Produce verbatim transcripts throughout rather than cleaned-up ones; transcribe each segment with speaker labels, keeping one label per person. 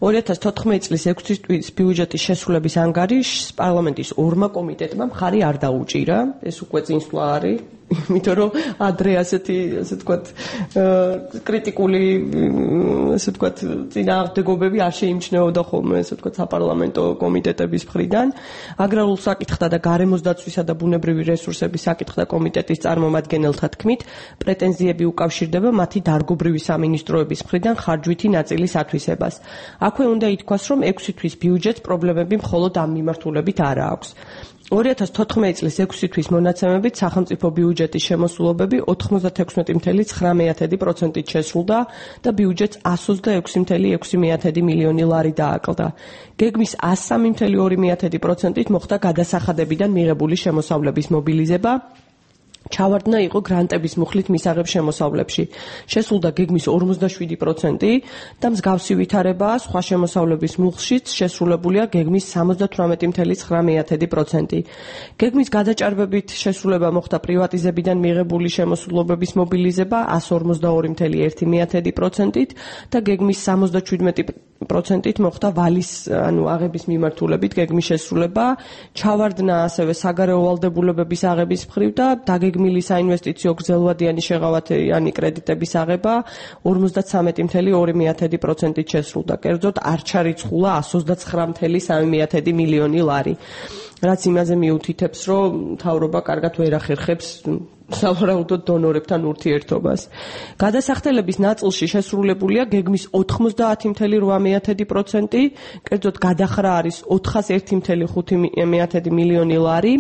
Speaker 1: ორი ათას თოთხმეტი წლის ექვსი თვის ბიუჯეტის შესრულების ანგარიშს პარლამენტის ორმა კომიტეტმა მხარი არ დაუჭირა. ეს უკვე წინსვლა არის. იმიტომ რომ ადრე ასეთი ასე ვთქვათ კრიტიკული ასე ვთქვათ წინააღმდეგობები არ შეიმჩნეოდა ხოლმე ასე ვთქვათ საპარლამენტო კომიტეტების მხრიდან. აგრარულ საკითხთა და გარემოს დაცვისა და ბუნებრივი რესურსების საკითხთა კომიტეტის წარმომადგენელთა თქმით, პრეტენზიები უკავშირდება მათი დარგობრივი სამინისტროების მხრიდან ხარჯვითი ნაწილის ათვისებას. აქვე უნდა ითქვას, რომ ექვსი თვის ბიუჯეტს პრობლემები მხოლოდ ამ მიმართულებით არ აქვს. ორი ათას თოთხმეტი წლის ექვსი თვის მონაცემებით სახელმწიფო ბიუჯეტის შემოსულობები ოთხმოცდათექვსმეტი წუთი ცხრა პროცენტით შესრულდა და ბიუჯეტს εκατს ოცდაექვსი წუთი ექვსი მილიონი ლარი დააკლდა. გეგმის εκατს სამი წუთი ორი პროცენტით მოხდა გადასახადებიდან მიღებული შემოსავლების მობილიზება. ჩავარდნა იყო გრანტების მუხლით მისაღებ შემოსავლებში. შესრულდა გეგმის ორმოცდაშვიდი პროცენტი და მსგავსი ვითარებაა სხვა შემოსავლების მუხლშიც შესრულებულია გეგმის სამოცდათვრამეტი წუთი ცხრა პროცენტი. გეგმის გადაჭარბებით შესრულება მოხდა პრივატიზებიდან მიღებული შემოსულობების მობილიზება εκατს ორმოცდაორი წუთი ერთი პროცენტით და გეგმის სამოცდაჩვიდმეტი პროცენტით მოხდა ვალის ანუ აღების მიმართულებით გეგმის შესრულება. ჩავარდნა ასევე საგარეო ვალდებულებების აღების მხრივ და დაგეგმილი საინვესტიციო გრძელვადიანი შეღავათიანი კრედიტების აღება ორმოცდათვრამეტი წუთი ორი პროცენტით შესრულდა. კერძოდ არ ჩარიცხულა εκατს ოცდაცხრა წუთი სამი მილიონი ლარი. რაც იმაზე მიუთითებს, რომ მთავრობა კარგად ვერ ახერხებს სავარაუდოდ დონორებთან ურთიერთობას. გადასახდელების ნაწილში შესრულებულია გეგმის ოთხმოცდაათი წუთი რვა პროცენტი, კერძოდ გადახრა არის ოთხას ერთი წუთი ხუთი მილიონი ლარი.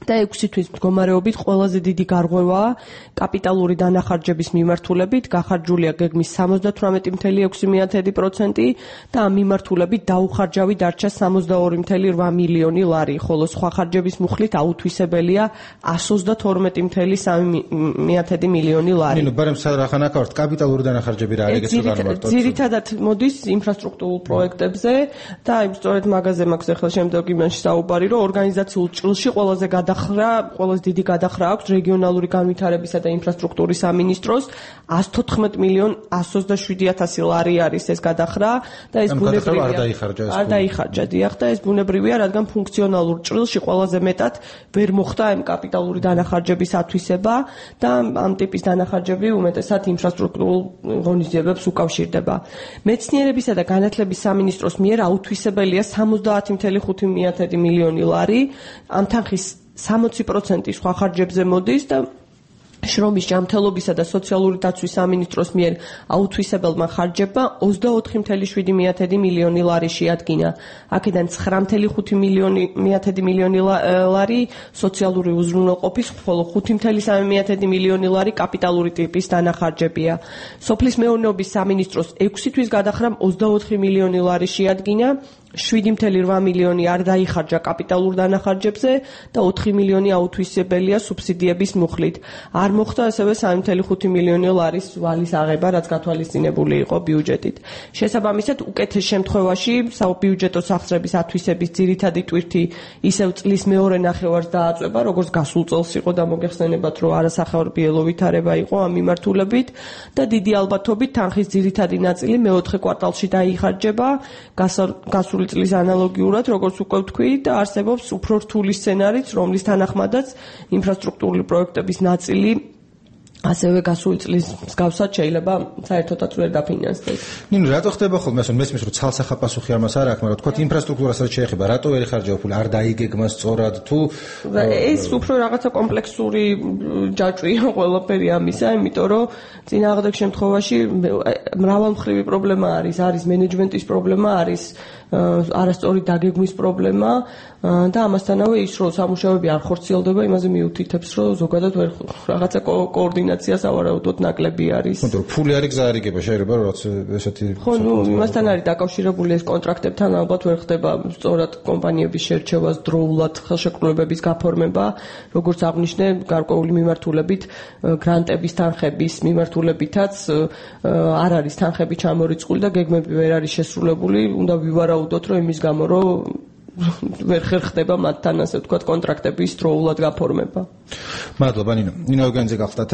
Speaker 1: და ექვსი თვის მდგომარეობით ყველაზე დიდი გარღვევაა კაპიტალური დანახარჯების მიმართულებით, გახარჯულია გეგმის სამოცდათვრამეტი წუთი ექვსი პროცენტი და ამ მიმართულებით დაუხარჯავი დარჩა სამოცდაორი წუთი რვა მილიონი ლარი, ხოლო სხვა ხარჯების მუხლით აუთვისებელია εκατს ოცდათორმეტი წუთი სამი მილიონი ლარი.
Speaker 2: ნინო, ბარემ სარახანა ქართ კაპიტალური დანახარჯები რა არის ეს განმარტოთ.
Speaker 1: ძირითადად მოდის ინფრასტრუქტურულ პროექტებზე და აი სწორედ მაგაზე მაქვს ახლა შემდეგ იმაში საუბარი, რომ ორგანიზაციულ ჭრილში ყველაზე გადახრა, ყველაზე დიდი გადახრა აქვს რეგიონალური განვითარებისა და ინფრასტრუქტურის სამინისტროს εκατს თოთხმეტი მილიონ εκατს ოცდაშვიდი ათასი ლარი არის ეს გადახრა და ეს ბუნებრივია.
Speaker 2: არ დაიხარჯა ეს.
Speaker 1: არ დაიხარჯა, დიახ, და ეს ბუნებრივია, რადგან ფუნქციონალურ ჭრილში ყველაზე მეტად ვერ მოხდა ამ კაპიტალური დანახარჯების ათვისება და ამ ტიპის დანახარჯები უმეტესად ინფრასტრუქტურულ ღონისძიებებს უკავშირდება. მეცნიერებისა და განათლების სამინისტროს მიერ აუთვისებელია სამოცდაათი წუთი ხუთი მილიონი ლარი. ამ თანხის სამოცი პროცენტი სხვა ხარჯებზე მოდის და შრომის ჯანმრთელობისა და სოციალური დაცვის სამინისტროს მიერ აუთვისებელმა ხარჯებმა ოცდაოთხი წუთი შვიდი მილიონი ლარი შეადგინა. აქედან ცხრა წუთი ხუთი მილიონი ლარი სოციალური უზრუნველყოფის, ხოლო ხუთი წუთი სამი მილიონი ლარი კაპიტალური ტიპის დანახარჯებია. სოფლის მეურნეობის სამინისტროს ექვსი თვის გადახრამ ოცდაოთხი მილიონი ლარი შეადგინა. შვიდი წუთი რვა მილიონი არ დაიხარჯა კაპიტალურ დანახარჯებზე და ოთხი მილიონი აუთვისებელია სუბსიდიების მუხლით. არ მოხდა ასევე სამი წუთი ხუთი მილიონი ლარის ვალის აღება, რაც გათვალისწინებული იყო ბიუჯეტით. შესაბამისად, უკეთეს შემთხვევაში საბიუჯეტო სახსრების ათვისების ძირითადი ტვირთი ისევ წლის მეორე ნახევარს დააწვება, როგორც გასულ წელს იყო და მოგეხსენებათ, რომ არასახელმწიფო ვითარება იყო ამ მიმართულებით და დიდი ალბათობით თანხის ძირითადი ნაწილი მეოთხე კვარტალში დაიხარჯება, გასული წლის ანალოგიურად, როგორც უკვე ვთქვი, და არსებობს უფრო რთული სცენარიც, რომლის თანახმადაც ინფრასტრუქტურული პროექტების ნაწილი ასევე გასული წლის მსგავსად შეიძლება საერთოდაც ვერ დაფინანსდეს.
Speaker 2: ნინო, რატო ხდება ხოლმე ასე, მესმის რომ ცალსახა პასუხი არ მას არ აქვს, მაგრამ თქვა ინფრასტრუქტურას რაც შეეხება, რატო ვერ იხარჯება ფული, არ დაიგეგმა სწორად თუ
Speaker 1: ეს უფრო რაღაცა კომპლექსური ჯაჭვია ყველაფერი ამისა, იმიტომ რომ წინააღმდეგ შემთხვევაში მრავალმხრივი პრობლემა არის, არის მენეჯმენტის პრობლემა, არის არასწორი დაგეგმვის პრობლემა და ამასთანავე ის რომ სამუშაოები არ ხორციელდება, იმაზე მიუთითებს, რომ ზოგადად ვერ რაღაცა კოორდინაცია სავარაუდოდ ნაკლები არის.
Speaker 2: ხო, ფული არის გზა არიგება, შეიძლება რომ რაც ესეთი
Speaker 1: ხო, ნუ იმასთან არის დაკავშირებული ეს კონტრაქტებთან ალბათ ვერ ხდება სწორად კომპანიების შერჩევა, დროულად ხელშეკრულებების გაფორმება, როგორც აღნიშნე, გარკვეული მიმართულებით გრანტების თანხების მიმართულებითაც არ არის თანხები ჩამორიცხული და გეგმები ვერ არის შესრულებული, უნდა ვივარაუდოთ, რომ იმის გამო, რომ ვერ ხერხდება მათთან ასე ვთქვათ კონტრაქტების დროულად გაფორმება.
Speaker 2: მადლობა ნინო. ნინო ევგენიძე გახლდათ.